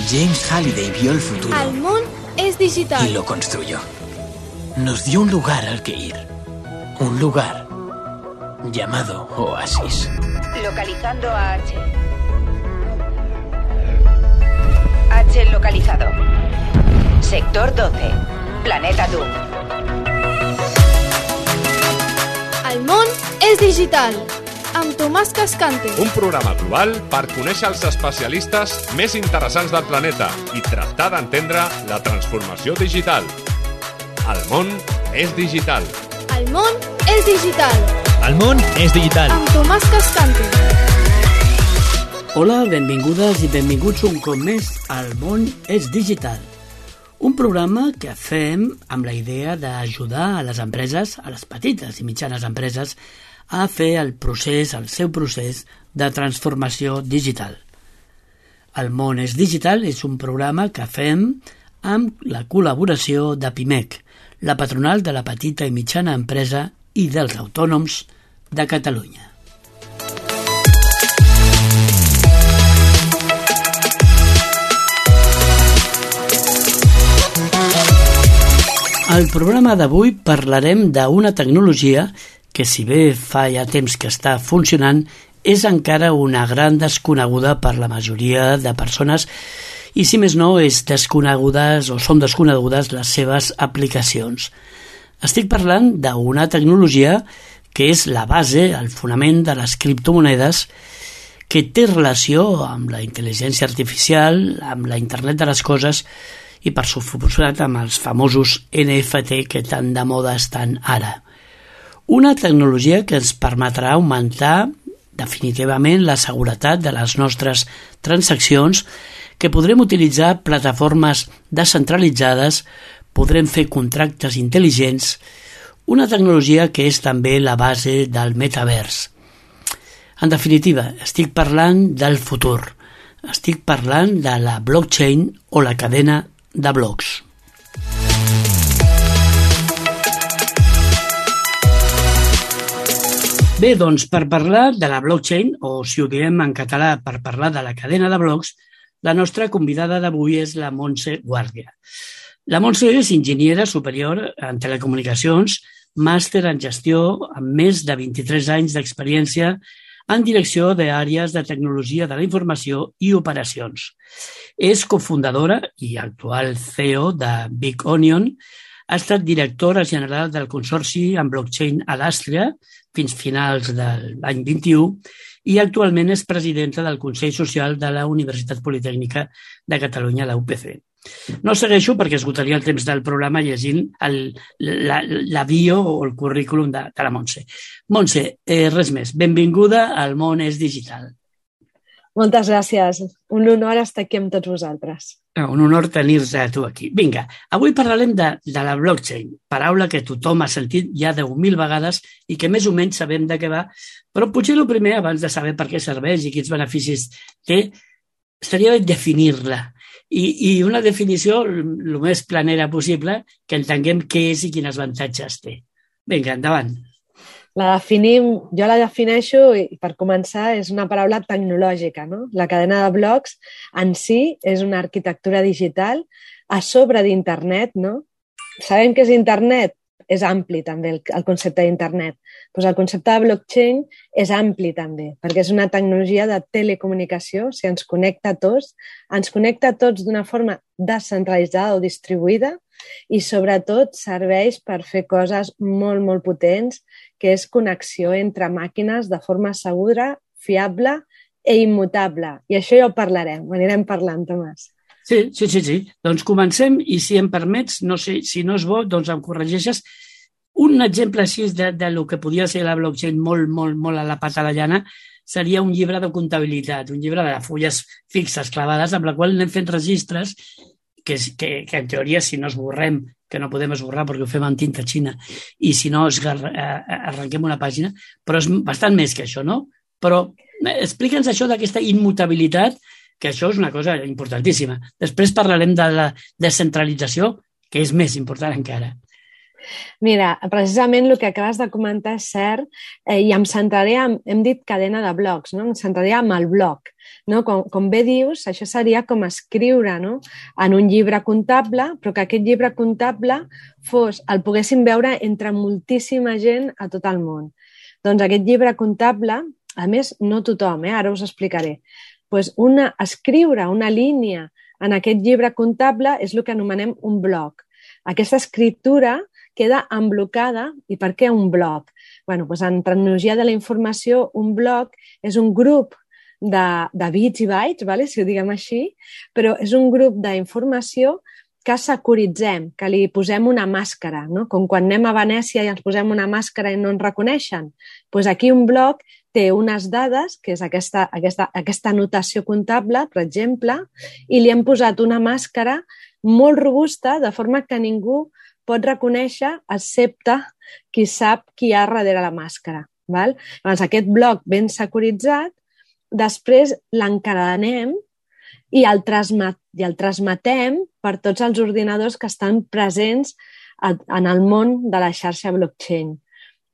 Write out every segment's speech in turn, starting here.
James Halliday vio el futuro. El món es digital. Y lo construyó. Nos dio un lugar al que ir. Un lugar llamado Oasis. Localizando a H. H localizado. Sector 12. Planeta Doom. El món és digital. Amb Tomàs Cascante. Un programa global per conèixer els especialistes més interessants del planeta i tractar d'entendre la transformació digital. El món és digital. El món és digital. El món és digital. Amb Tomàs Cascante. Hola, benvingudes i benvinguts un cop més al món és digital. Un programa que fem amb la idea d'ajudar a les empreses, a les petites i mitjanes empreses, a fer el seu procés de transformació digital. El món és digital és un programa que fem amb la col·laboració de PIMEC, la patronal de la petita i mitjana empresa i dels autònoms de Catalunya. Al programa d'avui parlarem d'una tecnologia que, si bé fa ja temps que està funcionant, és encara una gran desconeguda per la majoria de persones i, si més no, són desconegudes les seves aplicacions. Estic parlant d'una tecnologia que és la base, el fonament de les criptomonedes, que té relació amb la intel·ligència artificial, amb la internet de les coses i, per suposat, amb els famosos NFT que tan de moda estan ara. Una tecnologia que ens permetrà augmentar definitivament la seguretat de les nostres transaccions, que podrem utilitzar plataformes descentralitzades, podrem fer contractes intel·ligents, una tecnologia que és també la base del metavers. En definitiva, estic parlant del futur, estic parlant de la blockchain o la cadena de blocs. Bé, doncs, per parlar de la blockchain, o si ho diem en català, per parlar de la cadena de blocs, la nostra convidada d'avui és la Montse Guàrdia. La Montse és enginyera superior en telecomunicacions, màster en gestió amb més de 23 anys d'experiència en direcció d'àrees de tecnologia de la informació i operacions. És cofundadora i actual CEO de Big Onion, ha estat directora general del Consorci en Blockchain a l'Àstria fins finals de l'any 21 i actualment és presidenta del Consell Social de la Universitat Politècnica de Catalunya, la UPC. No segueixo perquè esgotaria el temps del programa llegint la bio o el currículum de la Montse. Montse, res més. Benvinguda al món és digital. Moltes gràcies. Un honor estar aquí amb tots vosaltres. Un honor tenir-te a tu aquí. Vinga, avui parlarem de la blockchain, paraula que tothom ha sentit ja 10.000 vegades i que més o menys sabem de què va, però potser el primer, abans de saber per què serveix i quins beneficis té, seria definir-la. I una definició el més planera possible, que entenguem què és i quins avantatges té. Vinga, endavant. Jo la defineixo, i per començar, és una paraula tecnològica, no? La cadena de blocs en si és una arquitectura digital a sobre d'internet, no? Sabem què és internet? És ampli també el concepte d'internet. Doncs el concepte de blockchain és ampli també, perquè és una tecnologia de telecomunicació, o sigui, ens connecta a tots d'una forma descentralitzada o distribuïda i sobretot serveix per fer coses molt, molt potents, que és connexió entre màquines de forma segura, fiable i immutable. I això ja ho parlarem, ho anirem parlant, Tomàs. Sí. Doncs comencem i, si em permets, no sé, si no és bo, doncs em corregeixes. Un exemple així del que podia ser la blockchain molt a la pata a la llana seria un llibre de comptabilitat, un llibre de fulles fixes clavades amb la qual anem fent registres que en teoria, si no esborrem, que no podem esborrar perquè ho fem amb tinta xina, i si no arrenquem una pàgina, però és bastant més que això, no? Però explica'ns això d'aquesta immutabilitat, que això és una cosa importantíssima. Després parlarem de la descentralització, que és més important encara. Mira, precisament el que acabes de comentar és cert, i em centraré hem dit cadena de blocs, no? Em centraré en el bloc. No? Com bé dius, això seria com escriure, no? En un llibre comptable, però que aquest llibre comptable el poguéssim veure entre moltíssima gent a tot el món. Doncs aquest llibre comptable, a més, no tothom, ara us explicaré, doncs escriure una línia en aquest llibre comptable és el que anomenem un bloc. Aquesta escriptura queda emblocada. I per què un bloc? Doncs en tecnologia de la informació, un bloc és un grup de bits i bytes, si ho diguem així, però és un grup d'informació que securitzem, que li posem una màscara, no? Com quan anem a Venècia i ens posem una màscara i no ens reconeixen. Doncs aquí un bloc té unes dades, que és aquesta notació comptable, per exemple, i li hem posat una màscara molt robusta, de forma que ningú pot reconèixer, excepte qui sap qui hi ha darrere la màscara. Llavors, aquest bloc ben securitzat, després l'encadenem i el transmetem per tots els ordinadors que estan presents en el món de la xarxa blockchain.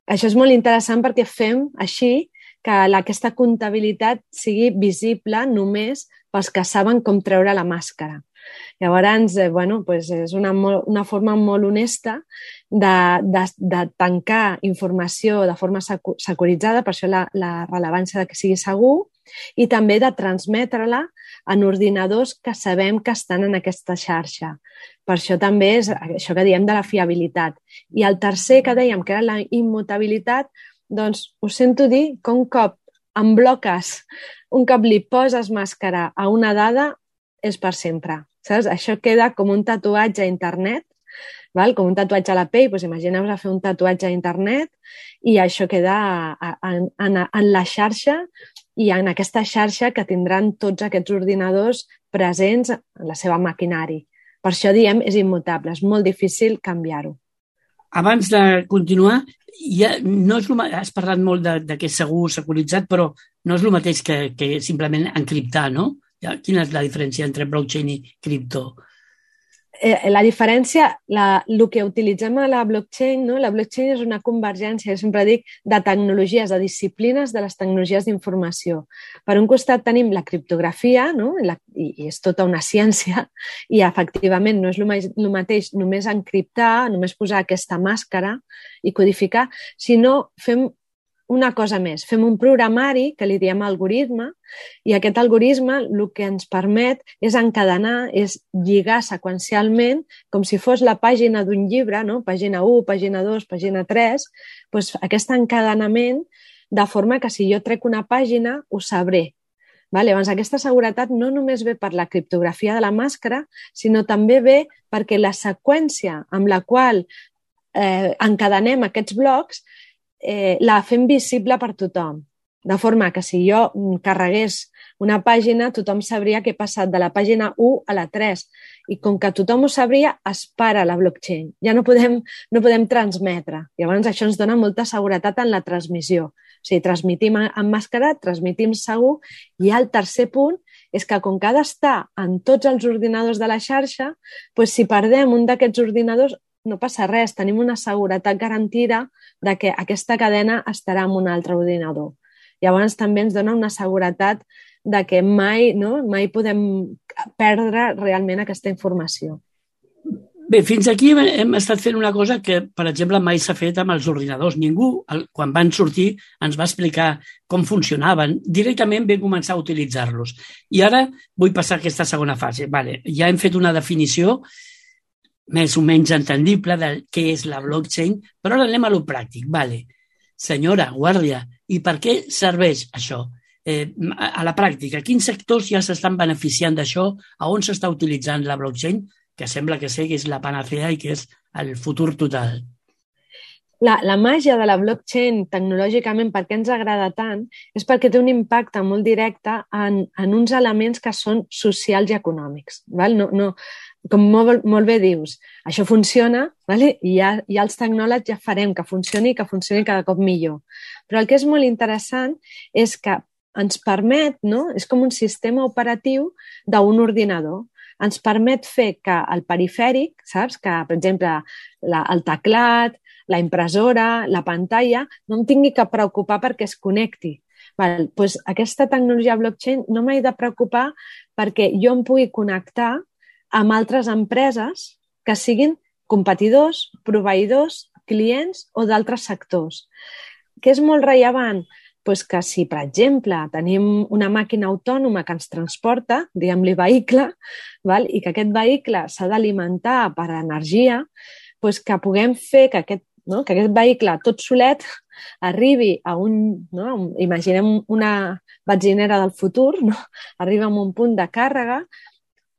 Això és molt interessant perquè fem així que aquesta comptabilitat sigui visible només pels que saben com treure la màscara. Llavors, és una forma molt honesta de tancar informació de forma securitzada, per això la rellevància de que sigui segur, i també de transmetre-la en ordinadors que sabem que estan en aquesta xarxa. Per això també és això que diem de la fiabilitat. I el tercer que dèiem, que era la immutabilitat, doncs us sento dir que un cop li poses màscara a una dada, és per sempre. Saps? Això queda com un tatuatge a internet, com un tatuatge a la pell. Doncs imagineu-vos a fer un tatuatge a internet i això queda en la xarxa i en aquesta xarxa que tindran tots aquests ordinadors presents en la seva maquinari. Per això diem és immutable, és molt difícil canviar-ho. Abans de continuar, has parlat molt de que és segur, securitzat, però no és el mateix que simplement encriptar, no? Quina és la diferència entre blockchain i cripto? La diferència, el que utilitzem a la blockchain, no? La blockchain és una convergència, jo sempre dic, de tecnologies, de disciplines de les tecnologies d'informació. Per un costat tenim la criptografia, no? I és tota una ciència, i efectivament no és el mateix només encriptar, només posar aquesta màscara i codificar, sinó fem una cosa més, fem un programari que li diem algoritme, i aquest algoritme el que ens permet és encadenar, és lligar seqüencialment, com si fos la pàgina d'un llibre, no? Pàgina 1, pàgina 2, pàgina 3, doncs aquest encadenament, de forma que si jo trec una pàgina, ho sabré. Llavors, aquesta seguretat no només ve per la criptografia de la màscara, sinó també ve perquè la seqüència amb la qual encadenem aquests blocs la fem visible per tothom. De forma que si jo carregués una pàgina, tothom sabria que he passat de la pàgina 1 a la 3. I com que tothom ho sabria, es para la blockchain. Ja no podem transmetre. Llavors, això ens dona molta seguretat en la transmissió. O sigui, transmitim emmascarat, transmitim segur, i el tercer punt és que com que ha d'estar en tots els ordinadors de la xarxa, doncs si perdem un d'aquests ordinadors, no passa res, tenim una seguretat garantida de que aquesta cadena estarà en un altre ordinador. Llavors també ens dona una seguretat de que mai podem perdre realment aquesta informació. Bé, fins aquí hem estat fent una cosa que, per exemple, mai s'ha fet amb els ordinadors. Ningú, quan van sortir, ens va explicar com funcionaven. Directament vam començar a utilitzar-los. I ara vull passar a aquesta segona fase. Ja hem fet una definició més o menys entendible de què és la blockchain, però ara anem a lo pràctic. Senyora Guàrdia, i per què serveix això? A la pràctica, quins sectors ja s'estan beneficiant d'això? A on s'està utilitzant la blockchain? Que sembla que sé que és la panacea i que és el futur total. La màgia de la blockchain tecnològicament, per què ens agrada tant, és perquè té un impacte molt directe en uns elements que són socials i econòmics. Com molt bé dius, això funciona, i ja els tecnòlegs ja farem que funcioni cada cop millor. Però el que és molt interessant és que ens permet, no? És com un sistema operatiu d'un ordinador. ens permet fer que el perifèric, saps? Que, per exemple, el teclat, la impressora, la pantalla, no em tingui que preocupar perquè es connecti. Doncs aquesta tecnologia blockchain no m'he de preocupar perquè jo em pugui connectar amb altres empreses que siguin competidors, proveïdors, clients o d'altres sectors. Què és molt rellevant? Doncs que si, per exemple, tenim una màquina autònoma que ens transporta, diguem-li vehicle, i que aquest vehicle s'ha d'alimentar per energia, doncs que puguem fer que aquest vehicle tot solet arribi a imaginem una benzinera del futur, arriba a un punt de càrrega,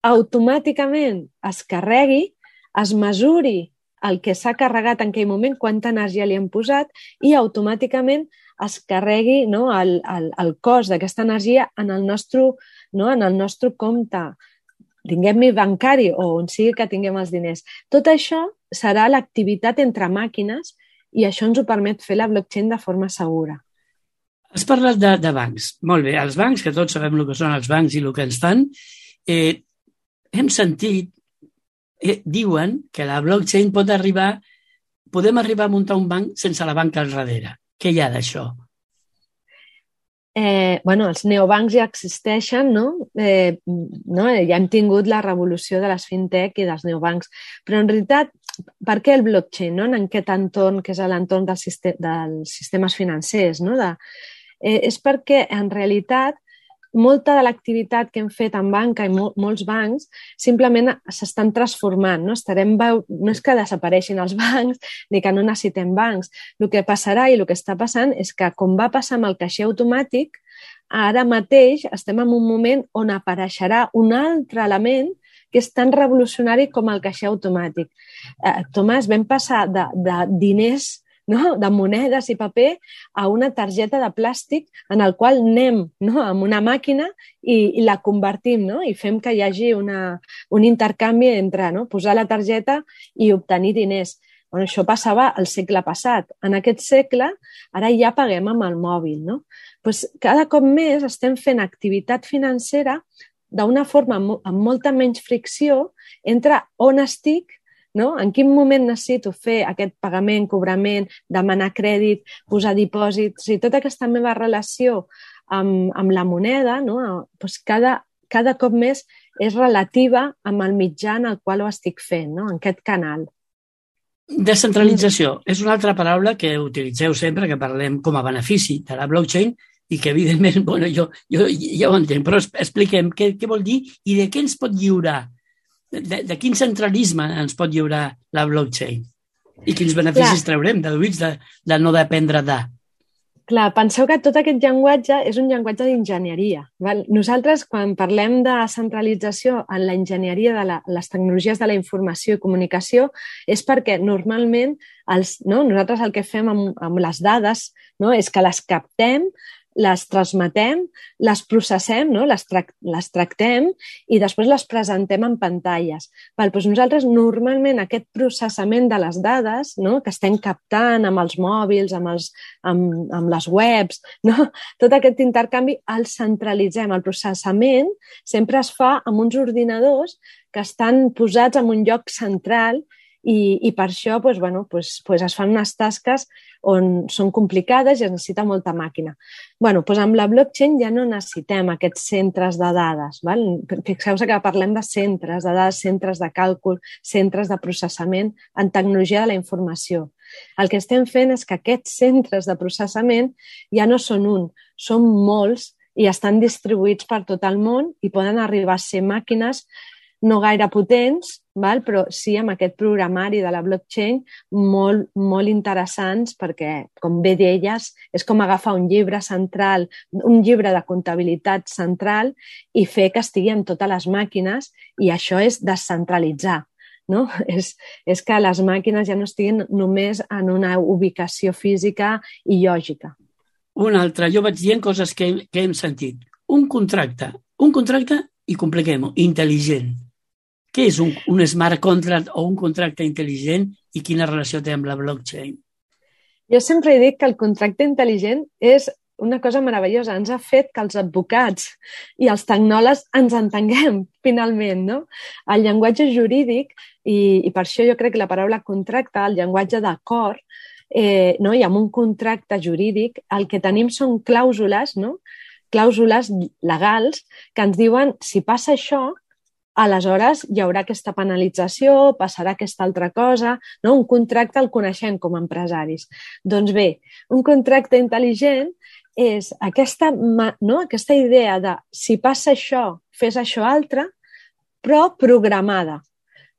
automàticament es carregui, es mesuri el que s'ha carregat en aquell moment, quanta energia li hem posat, i automàticament es carregui el cost d'aquesta energia en el nostre compte, tinguem-hi bancari o on sigui que tinguem els diners. Tot això serà l'activitat entre màquines i això ens ho permet fer la blockchain de forma segura. Has parlat de bancs. Molt bé, els bancs, que tots sabem el que són els bancs i el que ens fan, hem sentit, diuen que la blockchain podem arribar a muntar un banc sense la banca al darrere. Què hi ha d'això? Els neobancs ja existeixen, ja hem tingut la revolució de les fintech i dels neobancs, però en realitat, per què el blockchain, en aquest entorn que és l'entorn dels sistemes financers? És perquè, en realitat, molta de l'activitat que hem fet en banca i molts bancs simplement s'estan transformant. No és que desapareixin els bancs ni que no necessitem bancs. El que passarà i el que està passant és que, com va passar amb el caixer automàtic, ara mateix estem en un moment on apareixerà un altre element que és tan revolucionari com el caixer automàtic. Tomàs, vam passar de diners, de monedes i paper a una targeta de plàstic en el qual anem amb una màquina i la convertim i fem que hi hagi un intercanvi entre posar la targeta i obtenir diners. Això passava al segle passat. En aquest segle ara ja paguem amb el mòbil. Cada cop més estem fent activitat financera d'una forma amb molta menys fricció entre on estic, en quin moment necessito fer aquest pagament, cobrament, demanar crèdit, posar dipòsits, i tota aquesta meva relació amb la moneda, cada cop més és relativa amb el mitjà en el qual ho estic fent, en aquest canal. Descentralització és una altra paraula que utilitzeu sempre que parlem com a benefici de la blockchain i que, evidentment, jo ja ho entenc, però expliquem què vol dir i de què ens pot lliurar. De quin centralisme ens pot lliurar la blockchain? I quins beneficis traurem deduïts de no dependre de? Clar, penseu que tot aquest llenguatge és un llenguatge d'enginyeria. Nosaltres, quan parlem de centralització en la enginyeria de les tecnologies de la informació i comunicació, és perquè normalment nosaltres el que fem amb les dades és que les captem, les transmetem, les processem, les tractem i després les presentem en pantalles. Doncs nosaltres normalment aquest processament de les dades que estem captant amb els mòbils, amb les webs, tot aquest intercanvi el centralitzem. El processament sempre es fa amb uns ordinadors que estan posats en un lloc central i per això es fan unes tasques on són complicades i es necessita molta màquina. Amb la blockchain ja no necessitem aquests centres de dades. Fixeu-vos que parlem de centres de dades, centres de càlcul, centres de processament en tecnologia de la informació. El que estem fent és que aquests centres de processament ja no són un, són molts i estan distribuïts per tot el món i poden arribar a ser màquines no gaire potents, però sí amb aquest programari de la blockchain molt, molt interessants perquè, com bé deies, és com agafar un llibre central, un llibre de comptabilitat central i fer que estigui en totes les màquines i això és descentralitzar. És que les màquines ja no estiguin només en una ubicació física i lògica. Una altra, jo vaig dient coses que hem sentit. Un contracte i compliquem-ho, intel·ligent. Què és un smart contract o un contracte intel·ligent i quina relació té amb la blockchain? Jo sempre he dit que el contracte intel·ligent és una cosa meravellosa, ens ha fet que els advocats i els tecnòlegs ens entenguem, finalment, no? El llenguatge jurídic, i per això jo crec que la paraula contracte, el llenguatge d'acord, no? I amb un contracte jurídic, el que tenim són clàusules, no? Clàusules legals que ens diuen si passa això, aleshores hi haurà aquesta penalització, passarà aquesta altra cosa, no? Un contracte el coneixem com a empresaris. Doncs bé, un contracte intel·ligent és aquesta idea de si passa això, fes això altre, però programada.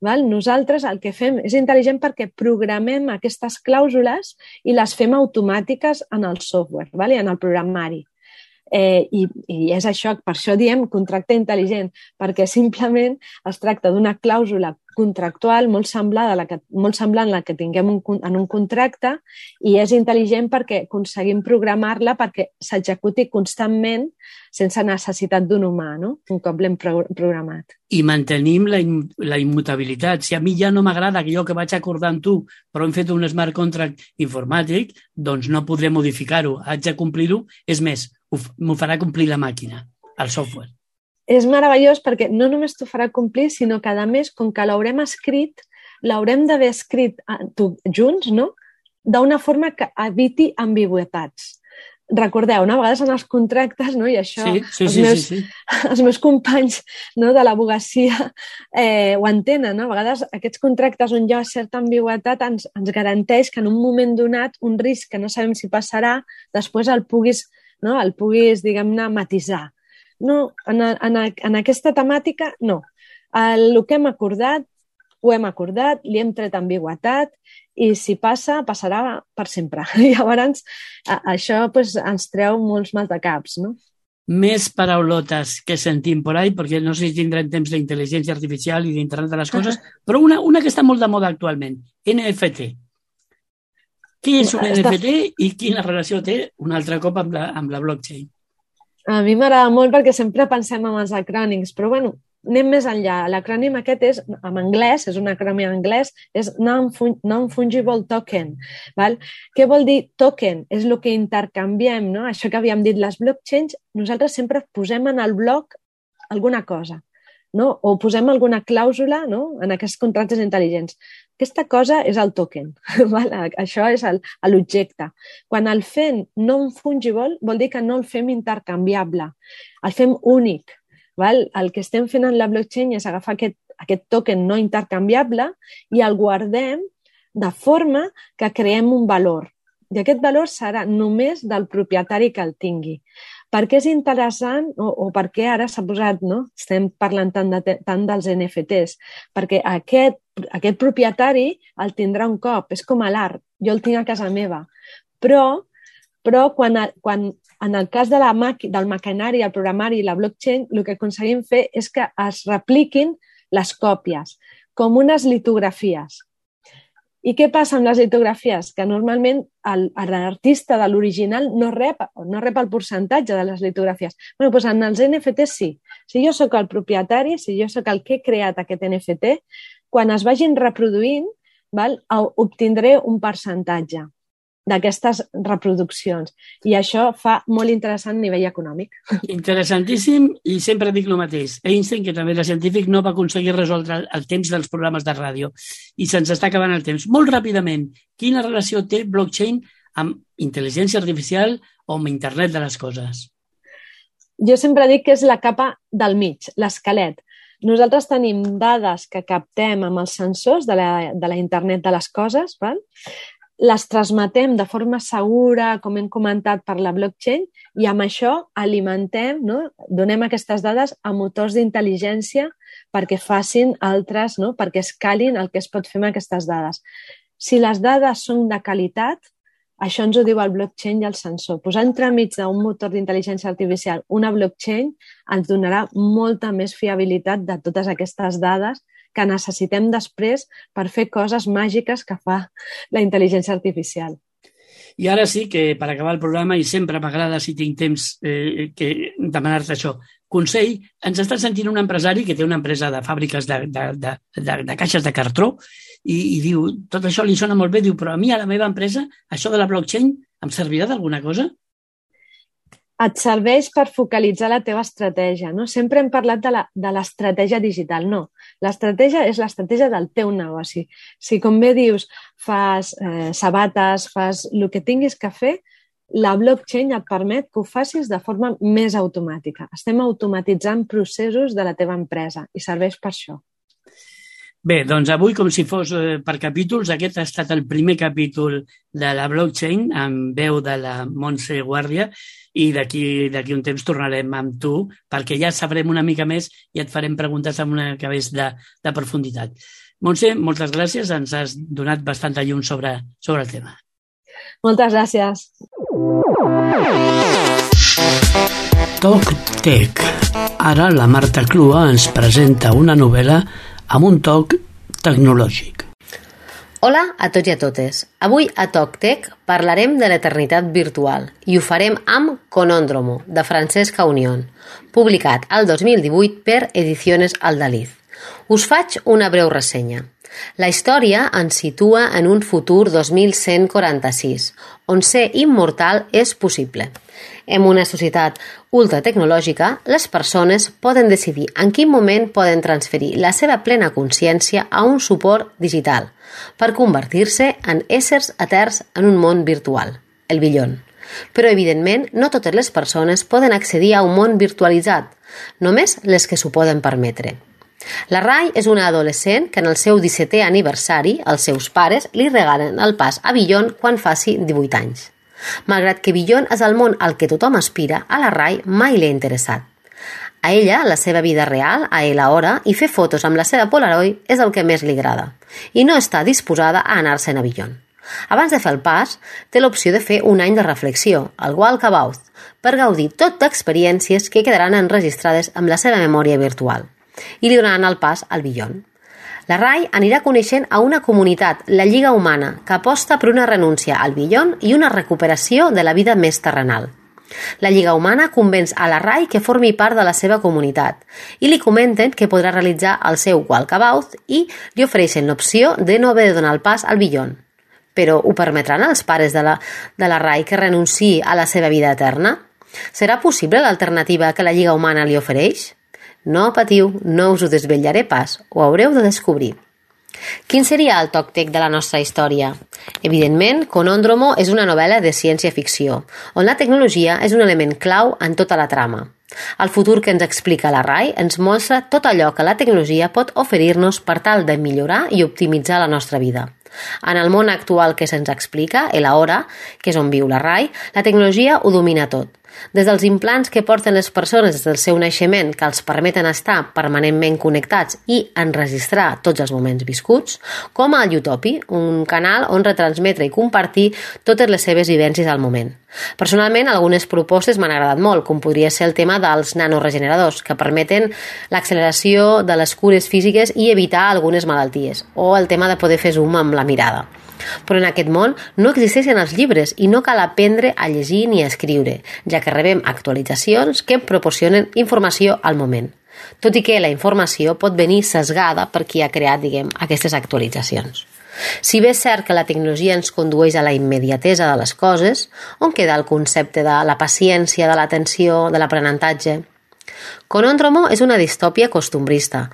Val? Nosaltres el que fem és intel·ligent perquè programem aquestes clàusules i les fem automàtiques en el software, val? I en el programari. I és això, per això diem contracte intel·ligent, perquè simplement es tracta d'una clàusula contractual molt semblant a la que tinguem en un contracte i és intel·ligent perquè aconseguim programar-la perquè s'executi constantment sense necessitat d'un humà, no? Un cop l'hem programat. I mantenim la immutabilitat. Si a mi ja no m'agrada allò que vaig acordar amb tu, però hem fet un smart contract informàtic, doncs no podré modificar-ho. Haig de complir-ho. És més, m'ho farà complir la màquina, el software. És meravellós perquè no només t'ho farà complir, sinó que, a més, com que l'haurem escrit, l'haurem d'haver escrit junts, no? D'una forma que eviti ambigüitats. Recordeu, a vegades en els contractes, no? I això els meus companys, no, de l'abogacia ho entenen, no? A vegades aquests contractes on hi ha certa ambigüitat ens garanteix que en un moment donat un risc que no sabem si passarà, després el puguis, diguem-ne, matisar. No, en aquesta temàtica, no. El que hem acordat, ho hem acordat, li hem tret ambigüitat i si passa, passarà per sempre. I llavors això ens treu molts maldecaps, no? Més paraulotes que sentim por ahí, perquè no sé si tindrem temps d'intel·ligència artificial i d'internet de les coses, però una que està molt de moda actualment, NFT. Què és un NFT i quina relació té un altre cop amb la blockchain? A mi m'agrada molt perquè sempre pensem en els acrònims, però bueno, anem més enllà. L'acrònim aquest és, en anglès, és un acrònim en anglès, és Non-Fungible Token. Val? Què vol dir token? És el que intercanviem, no? Això que havíem dit, les blockchains, nosaltres sempre posem en el bloc alguna cosa, no? O posem alguna clàusula, no? En aquests contractes intel·ligents. Aquesta cosa és el token, val? Això és l'objecte. Quan el fem non-fungible vol dir que no el fem intercanviable, el fem únic. Val? El que estem fent en la blockchain és agafar aquest token no intercanviable i el guardem de forma que creem un valor. I aquest valor serà només del propietari que el tingui. Per què és interessant o per què ara s'ha posat, no? Estem parlant tant dels NFTs? Perquè aquest propietari el tindrà un cop, és com l'art, jo el tinc a casa meva. Però quan en el cas del maquinari, el programari i la blockchain, el que aconseguim fer és que es repliquin les còpies, com unes litografies. I què passa amb les litografies? Que normalment l'artista de l'original no rep el percentatge de les litografies. Bé, doncs en els NFTs sí. Si jo sóc el propietari, si jo sóc el que he creat aquest NFT, quan es vagin reproduint, obtindré un percentatge d'aquestes reproduccions. I això fa molt interessant a nivell econòmic. Interessantíssim, i sempre dic el mateix. Einstein, que també era científic, no va aconseguir resoldre el temps dels programes de ràdio i se'ns està acabant el temps. Molt ràpidament, quina relació té blockchain amb intel·ligència artificial o amb internet de les coses? Jo sempre dic que és la capa del mig, l'esquelet. Nosaltres tenim dades que captem amb els sensors de la internet de les coses, val? Les transmetem de forma segura, com hem comentat, per la blockchain i amb això alimentem, no? Donem aquestes dades a motors d'intel·ligència perquè facin altres, no? Perquè escalin el que es pot fer amb aquestes dades. Si les dades són de qualitat, això ens ho diu el blockchain i el sensor. Posar entremig d'un motor d'intel·ligència artificial una blockchain ens donarà molta més fiabilitat de totes aquestes dades que necessitem després per fer coses màgiques que fa la intel·ligència artificial. I ara sí que, per acabar el programa, i sempre m'agrada, si tinc temps, demanar-te això, consell, ens està sentint un empresari que té una empresa de fàbriques de caixes de cartró i diu, tot això li sona molt bé, diu, però a mi, a la meva empresa, això de la blockchain em servirà d'alguna cosa? et serveix per focalitzar la teva estratègia. No? Sempre hem parlat de l'estratègia digital. No, l'estratègia és l'estratègia del teu negoci. Si, com bé dius, fas sabates, fas el que tinguis que fer, la blockchain et permet que ho facis de forma més automàtica. Estem automatitzant processos de la teva empresa i serveix per això. Bé, doncs avui, com si fos per capítols, aquest ha estat el primer capítol de la blockchain amb veu de la Montse Guàrdia i d'aquí un temps tornarem amb tu perquè ja sabrem una mica més i et farem preguntes amb una mica més de profunditat. Montse, moltes gràcies, ens has donat bastanta llum sobre el tema. Moltes gràcies. TalkTech. Ara la Marta Clua ens presenta una novel·la amb un toc tecnològic. Hola a tots i a totes. Avui a TalkTech parlarem de l'eternitat virtual i ho farem amb Conóndromo, de Francesca Unión, publicat al 2018 per Ediciones Aldaliz. Us faig una breu ressenya. La història ens situa en un futur 2146, on ser immortal és possible. En una societat ultratecnològica, les persones poden decidir en quin moment poden transferir la seva plena consciència a un suport digital per convertir-se en éssers eterns en un món virtual, el Beyond. Però, evidentment, no totes les persones poden accedir a un món virtualitzat, només les que s'ho poden permetre. La Rai és una adolescent que en el seu 17è aniversari els seus pares li regalen el pas a Beyond quan faci 18 anys. Malgrat que Beyond és el món al que tothom aspira, a la Rai mai li ha interessat. A ella, la seva vida real, a ell hora, i fer fotos amb la seva Polaroid és el que més li agrada, i no està disposada a anar-se'n a Beyond. Abans de fer el pas, té l'opció de fer un any de reflexió, el Walkabout, per gaudir tot d'experiències que quedaran enregistrades amb la seva memòria virtual i li donaran el pas al Beyond. La Rai anirà coneixent a una comunitat, la Lliga Humana, que aposta per una renúncia al Beyond i una recuperació de la vida més terrenal. La Lliga Humana convenç a la Rai que formi part de la seva comunitat i li comenten que podrà realitzar el seu Walkabout i li ofereixen l'opció de no haver de donar el pas al Beyond. Però ho permetran als pares de la Rai que renunciï a la seva vida eterna? Serà possible l'alternativa que la Lliga Humana li ofereix? No patiu, no us ho desvetllaré pas, ho haureu de descobrir. Quin seria el TalkTech de la nostra història? Evidentment, Conóndromo és una novel·la de ciència-ficció, on la tecnologia és un element clau en tota la trama. El futur que ens explica la Rai ens mostra tot allò que la tecnologia pot oferir-nos per tal de millorar i optimitzar la nostra vida. En el món actual que se'ns explica, el ara, que és on viu la Rai, la tecnologia ho domina tot. Des dels implants que porten les persones des del seu naixement que els permeten estar permanentment connectats i enregistrar tots els moments viscuts, com al Utopi, un canal on retransmetre i compartir totes les seves vivències al moment. Personalment, algunes propostes m'han agradat molt, com podria ser el tema dels nanoregeneradors, que permeten l'acceleració de les cures físiques i evitar algunes malalties, o el tema de poder fer zoom amb la mirada. Però en aquest món no existeixen els llibres i no cal aprendre a llegir ni a escriure, ja que rebem actualitzacions que proporcionen informació al moment, tot i que la informació pot venir sesgada per qui ha creat, aquestes actualitzacions. Si bé és cert que la tecnologia ens condueix a la immediatesa de les coses, on queda el concepte de la paciència, de l'atenció, de l'aprenentatge? Conóndromo és una distòpia costumbrista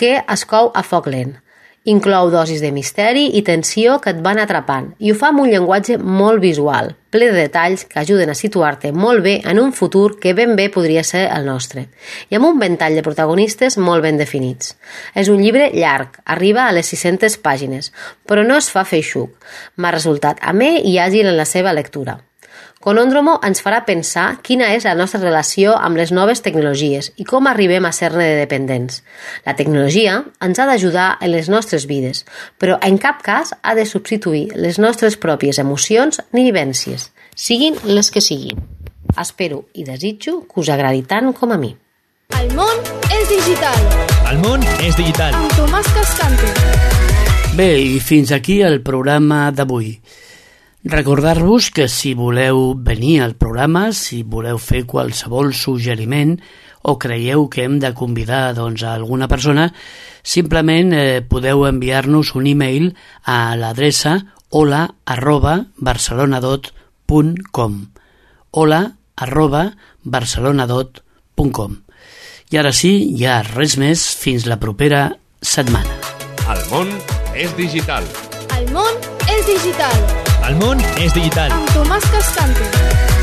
que es cou a foc lent. Inclou dosis de misteri i tensió que et van atrapant i ho fa amb un llenguatge molt visual, ple de detalls que ajuden a situar-te molt bé en un futur que ben bé podria ser el nostre, i amb un ventall de protagonistes molt ben definits. És un llibre llarg, arriba a les 600 pàgines, però no es fa feixuc. M'ha resultat amè i àgil en la seva lectura. Conóndromo ens farà pensar quina és la nostra relació amb les noves tecnologies i com arribem a ser-ne de dependents. La tecnologia ens ha d'ajudar en les nostres vides, però en cap cas ha de substituir les nostres pròpies emocions ni vivències, siguin les que siguin. Espero i desitjo que us agradi tant com a mi. El món és digital. El món és digital. Amb Tomàs Cascante. Bé, i fins aquí el programa d'avui. Recordar-vos que si voleu venir al programa, si voleu fer qualsevol suggeriment o creieu que hem de convidar a alguna persona, simplement podeu enviar-nos un e-mail a l'adreça hola@barcelonadot.com hola @barcelonadot.com. I ara sí, ja res més, fins la propera setmana. El món és digital. El món és digital. El món és digital. Amb Tomàs Cascante.